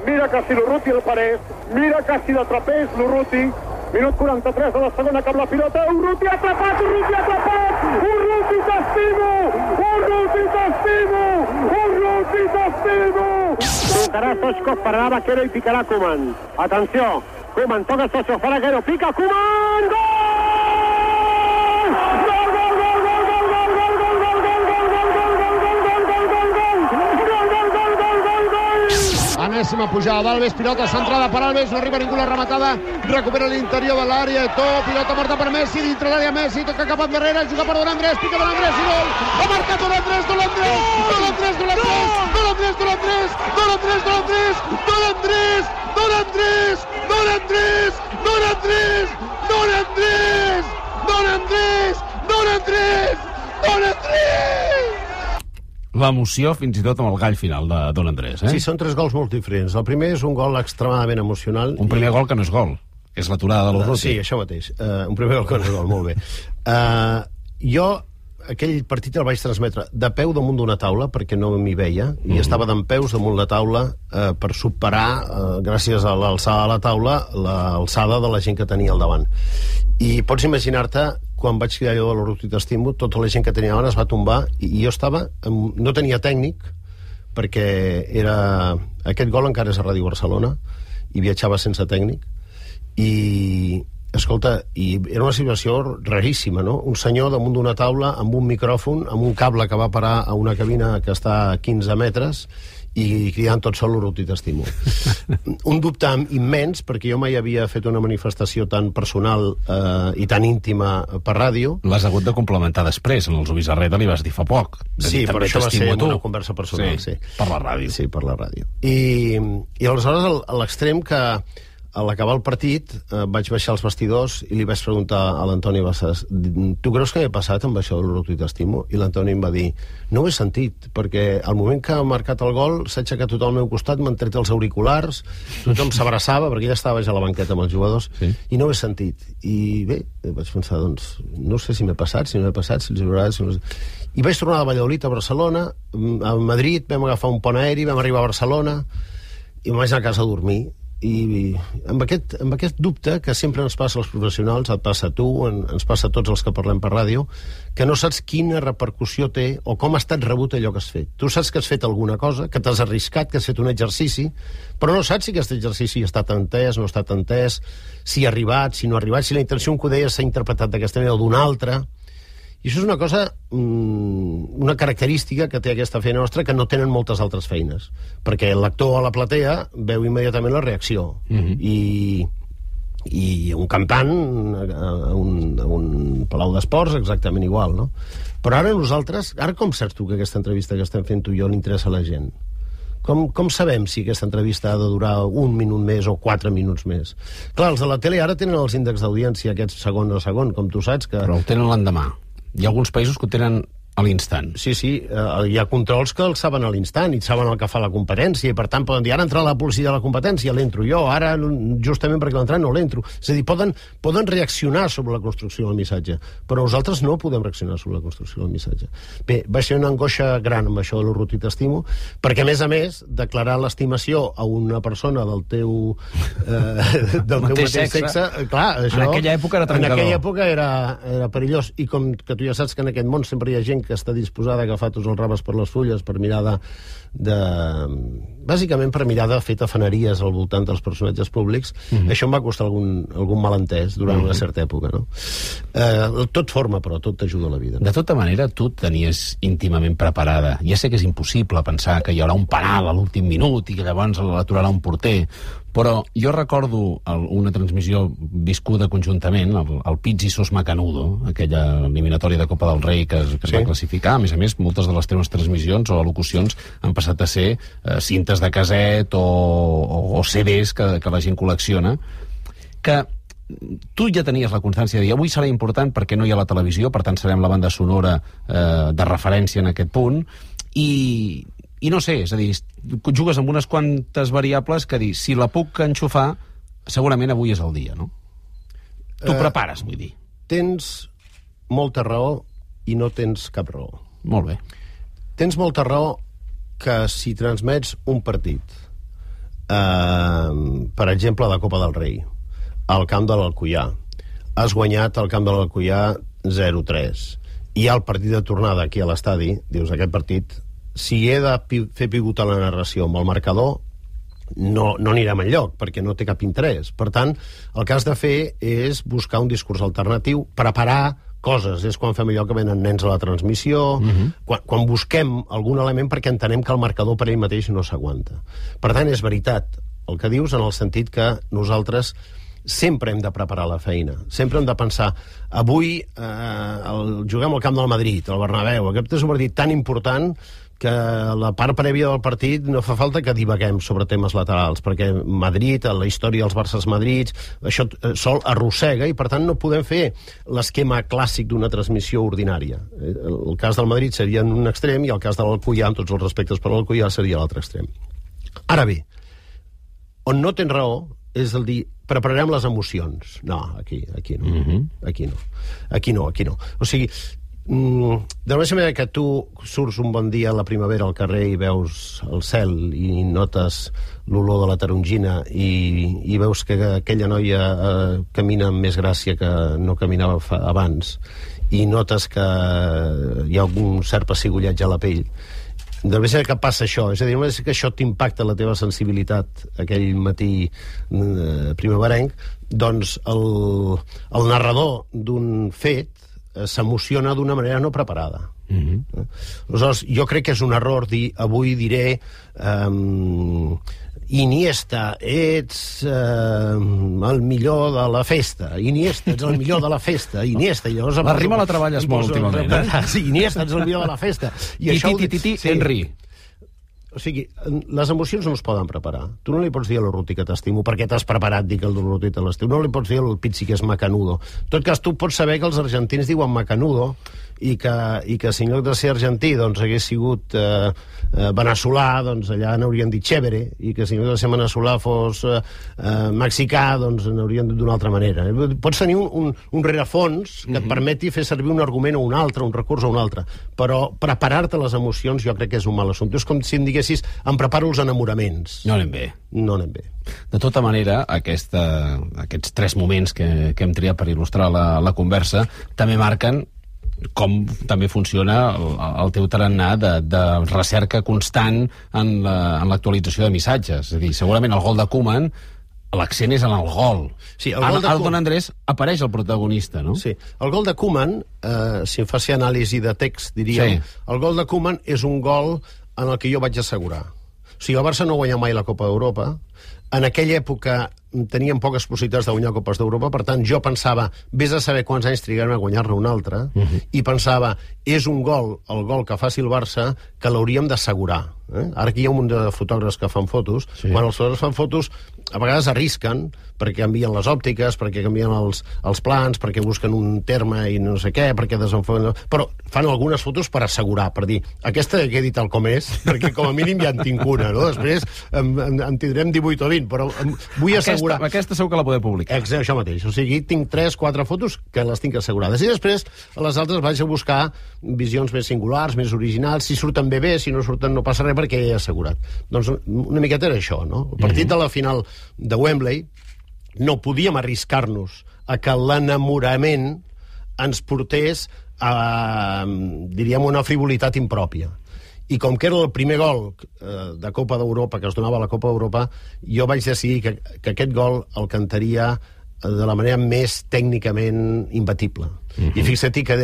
mira que si l'Urruti el parés, mira que si l'atrapés l'Urruti. Minut 43 de la segona, cap la pilota, Urruti atrapat, Urruti t'estimo! Urruti t'estimo! Tocarà Stoichkov, pararà Vaquero i picarà Koeman. Atenció, Koeman toca Stoichkov, fa Vaquero, pica Koeman, gol! Enèsima pujada d'Alves, pilota centrada per Alves, no arriba ningú la rematada, recupera l'interior de l'àrea, pilota morta per Messi, dintre l'àrea Messi, toca cap endarrere, juga per Don Andrés, pica Don Andrés i gol! Ha marcat Don Andrés! L'emoció fins i tot amb el gall final de Don Andrés, Sí, són 3 gols molt diferents. El primer és un gol extremadament emocional. Un primer gol que no és gol, és l'aturada de l'Urruti. Sí, això mateix. Un primer gol que no és gol, molt bé. Jo aquell partit el vaig transmetre de peu damunt d'una taula, perquè no m'hi veia, i estava dempeus damunt la taula per superar, gràcies a l'alçada de la taula, l'alçada de la gent que tenia al davant. I pots imaginar-te, quan vaig cridar allò de l'Urruti t'estimo, tota la gent que tenia davant es va tombar, i jo estava... No tenia tècnic, perquè aquest gol encara és a Ràdio Barcelona, i viatjava sense tècnic, i... Escolta, i era una situació raríssima, no? Un senyor damunt d'una taula amb un micròfon, amb un cable que va parar a una cabina que està a 15 metres i cridant tot sol l'Urruti t'estimo. Un dubte immens, perquè jo mai havia fet una manifestació tan personal i tan íntima per ràdio. L'has hagut de complementar després, en els Ubis Arreta li vas dir fa poc. Sí, però això va ser una conversa personal. Sí, per la ràdio. Sí, per la ràdio. I aleshores, a l'extrem que... A l'acabar el partit vaig baixar als vestidors i li vaig preguntar a l'Antoni Bassàs: tu creus que m'he passat amb això de l'Urruti t'estimo? I l'Antoni em va dir: no ho he sentit, perquè al moment que ha marcat el gol s'ha aixecat tothom al meu costat, m'han tret els auriculars, tothom s'abraçava, perquè ella estava a la banqueta amb els jugadors, i no ho he sentit. I bé, vaig pensar, doncs, no sé si m'he passat, si no m'he passat, si els agrada, si no... I vaig tornar de Valladolid a Barcelona, a Madrid, vam agafar un pont aeri, vam arribar a Barcelona i em vaig anar a casa a dormir. I amb aquest dubte que sempre ens passa als professionals, et passa a tu, ens passa a tots els que parlem per ràdio, que no saps quina repercussió té o com ha estat rebut allò que has fet. Tu saps que has fet alguna cosa, que t'has arriscat, que has fet un exercici, però no saps si aquest exercici ha estat entès, no ha estat entès, si ha arribat, si no ha arribat, si la intenció que ho deia s'ha interpretat d'aquesta manera o d'una altra. I això és una cosa, una característica que té aquesta feina nostra que no tenen moltes altres feines, perquè l'actor a la platea veu immediatament la reacció, i un cantant a un palau d'esports exactament igual, no? Però ara nosaltres, ara com saps tu que aquesta entrevista que estem fent tu i jo li interessa a la gent? Com sabem si aquesta entrevista ha de durar 1 minut més o 4 minuts més? Clar, els de la tele ara tenen els índexs d'audiència, aquests segon a segon, com tu saps que... Però el tenen l'endemà. Hi ha alguns països que ho tenen a l'instant. Sí, hi ha controls que els saben a l'instant i saben el que fa la competència, i per tant poden dir, ara entra la policia de la competència, l'entro jo, ara justament perquè l'entrat no l'entro. És a dir, poden reaccionar sobre la construcció del missatge, però nosaltres no podem reaccionar sobre la construcció del missatge. Bé, va ser una angoixa gran amb això de l'Urruti t'estimo, perquè a més, declarar l'estimació a una persona del teu mateix sexe, clar, això... En aquella època era trencador. En aquella època era perillós, i com que tu ja saps que en aquest món sempre hi ha gent que està disposada a agafar tots els raves per les fulles per mirar bàsicament per mirar de fer tafaneries al voltant dels personatges públics. Això em va costar algun malentès durant una certa època, no? Tot forma, però tot t'ajuda a la vida, no? De tota manera, tu tenies íntimament preparada. Ja sé que és impossible pensar que hi haurà un penal a l'últim minut i que llavors l'aturarà un porter, però jo recordo una transmissió viscuda conjuntament, el Pizzi Sos Macanudo, aquella eliminatòria de Copa del Rei que es va classificar. A més, moltes de les teves transmissions o al·locucions han passat a ser cintes de caset o CDs que la gent col·lecciona, que tu ja tenies la constància de dir avui serà important perquè no hi ha la televisió, per tant serem la banda sonora de referència en aquest punt, i no sé, és a dir, jugues amb unes quantes variables que dir, si la puc enxufar, segurament avui és el dia, no? Tu prepares, vull dir. Tens molta raó i no tens cap raó. Molt bé. Tens molta raó que si transmets un partit per exemple, la Copa del Rei, al camp de l'Alcoià. Has guanyat al camp de l'Alcoià 0-3. Hi ha el partit de tornada aquí a l'estadi, dius, aquest partit, si he de fer pivotar la narració amb el marcador, no anirem enlloc, perquè no té cap interès. Per tant, el que has de fer és buscar un discurs alternatiu, preparar coses. És quan fem allò que venen nens a la transmissió, quan busquem algun element perquè entenem que el marcador per ell mateix no s'aguanta. Per tant, és veritat el que dius, en el sentit que nosaltres sempre hem de preparar la feina, sempre hem de pensar, avui juguem al camp del Madrid, al Bernabéu, aquest és un partit tan important que la part prèvia del partit no fa falta que divaguem sobre temes laterals, perquè Madrid, la història dels Barças Madrid, això sol arrossega, i per tant no podem fer l'esquema clàssic d'una transmissió ordinària. El cas del Madrid seria en un extrem i el cas de l'Alcoià, amb tots els respectes per l'Alcoià, seria l'altre extrem. Ara bé, on no tens raó és el dir, prepararem les emocions. No, aquí no. Aquí no. O sigui, de la mateixa manera que tu surts un bon dia a la primavera al carrer i veus el cel i notes l'olor de la tarongina i veus que aquella noia camina amb més gràcia que no caminava abans, i notes que hi ha un cert pessigollatge a la pell, de la manera que passa això, és a dir, que això t'impacta la teva sensibilitat aquell matí primaverenc, doncs el narrador d'un fet s'emociona d'una manera no preparada. Aleshores, jo crec que és un error dir, avui diré Iniesta, ets el millor de la festa. Iniesta, ets el millor de la festa. Iniesta, i llavors... La rima la treballes molt últimament, eh? Sí, Iniesta, ets el millor de la festa. Henry. O sigui, les emocions no es poden preparar. Tu no li pots dir a l'Urruti que t'estimo perquè t'has preparat dir que el Urruti te l'estiu. No li pots dir al Pizzi que és macanudo. En tot cas, tu pots saber que els argentins diuen macanudo i que si en lloc de ser argentí doncs hagués sigut veneçolà, doncs allà n'haurien dit chévere, i que si en lloc de ser veneçolà fos mexicà, doncs n'haurien dit d'una altra manera. Pots tenir un rerefons que et permeti fer servir un argument o un altre, un recurs o un altre, però preparar-te les emocions jo crec que és un mal assumpte. És com si em diguessis, em preparo els enamoraments. No anem bé. De tota manera, aquests 3 moments que hem triat per il·lustrar la conversa també marquen com també funciona el teu tarannà de recerca constant en l'actualització de missatges. És a dir, segurament el gol de Koeman, l'accent és en el gol. Sí, el Don Andrés apareix el protagonista, no? Sí. El gol de Koeman, si em faci anàlisi de text, diríem, el gol de Koeman és un gol en el que jo vaig assegurar. O sigui, el Barça no guanya mai la Copa d'Europa. En aquella època teníem poques possibilitats de guanyar Copes d'Europa, per tant, jo pensava, vés a saber quants anys trigarem a guanyar-ne un altre, i pensava, és un gol, el gol que faci el Barça, que l'hauríem d'assegurar. Ara aquí hi ha un munt de fotògrafs que fan fotos. Quan els fotògrafs fan fotos, a vegades arrisquen, perquè canvien les òptiques, perquè canvien els plans, perquè busquen un terme i no sé què, perquè desenfoquen... Però fan algunes fotos per assegurar, per dir, aquesta que he dit tal com és, perquè com a mínim ja en tinc una, no? Després en tindrem 18 o 20, però vull assegurar... Aquesta segur que la podeu publicar. Exacte, això mateix. O sigui, tinc 3-4 fotos que les tinc assegurades. I després, a les altres vaig a buscar visions més singulars, més originals. Si surten bé, si no surten no passa res perquè he assegurat. Doncs una miqueta era això, no? El partit de la final de Wembley no podíem arriscar-nos a que l'enamorament ens portés a, diríem, una frivolitat impròpia. I com que era el primer gol de Copa d'Europa, que es donava a la Copa d'Europa, jo vaig decidir que aquest gol el cantaria de la manera més tècnicament imbatible. I fixa't que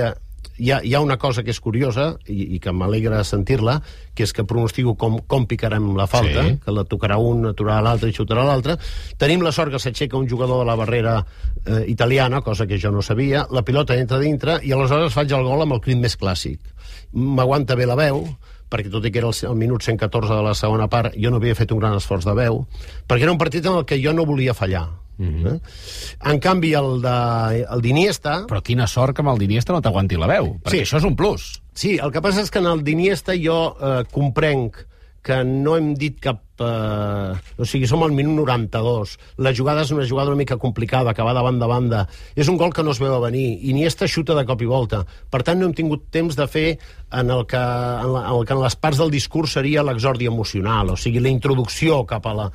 hi ha una cosa que és curiosa i que m'alegra sentir-la, que és que pronostico com picarem la falta, que la tocarà un, aturarà l'altre i xutarà l'altre. Tenim la sort que s'aixeca un jugador de la barrera italiana, cosa que jo no sabia, la pilota entra dintre i aleshores faig el gol amb el crit més clàssic. M'aguanta bé la veu, perquè tot i que era el minut 114 de la segona part, jo no havia fet un gran esforç de veu, perquè era un partit en el que jo no volia fallar. En canvi, el d'Iniesta... Però quina sort que amb el d'Iniesta no t'aguanti la veu, perquè això és un plus. Sí, el que passa és que en el d'Iniesta jo comprenc que no hem dit cap... o sigui, som al minut 92. La jugada és una jugada una mica complicada, acabar de banda. És un gol que no es veu a venir. Iniesta xuta de cop i volta. Per tant, no hem tingut temps de fer en el que en les parts del discurs seria l'exordi emocional, o sigui, la introducció cap al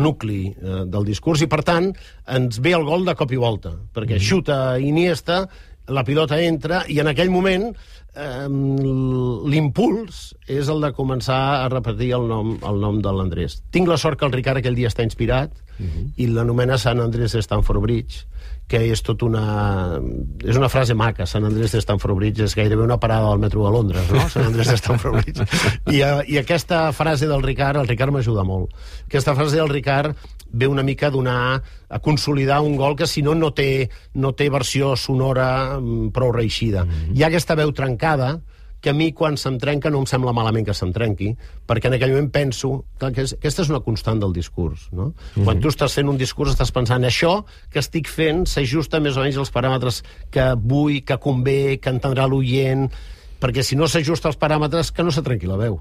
nucli del discurs, i per tant, ens ve el gol de cop i volta, perquè xuta Iniesta, la pilota entra, i en aquell moment l'impuls és el de començar a repetir el nom de l'Andrés. Tinc la sort que el Ricard aquell dia està inspirat i l'anomena Sant Andrés de Stamford Bridge, que és tot és una frase maca. Sant Andrés de Stamford Bridge és gairebé una parada del metro de Londres, no? Sant Andrés de Stamford Bridge. I aquesta frase del Ricard, el Ricard m'ajuda molt. Aquesta frase del Ricard ve una mica a consolidar un gol que si no té versió sonora prou reeixida. Hi ha aquesta veu trencada que a mi quan se'm trenca no em sembla malament que se'm trenqui, perquè en aquell moment penso que aquesta és una constant del discurs, no? Quan tu estàs fent un discurs estàs pensant això que estic fent s'ajusta més o menys als paràmetres que vull, que convé, que entendrà l'oient, perquè si no s'ajusta als paràmetres que no se trenqui la veu.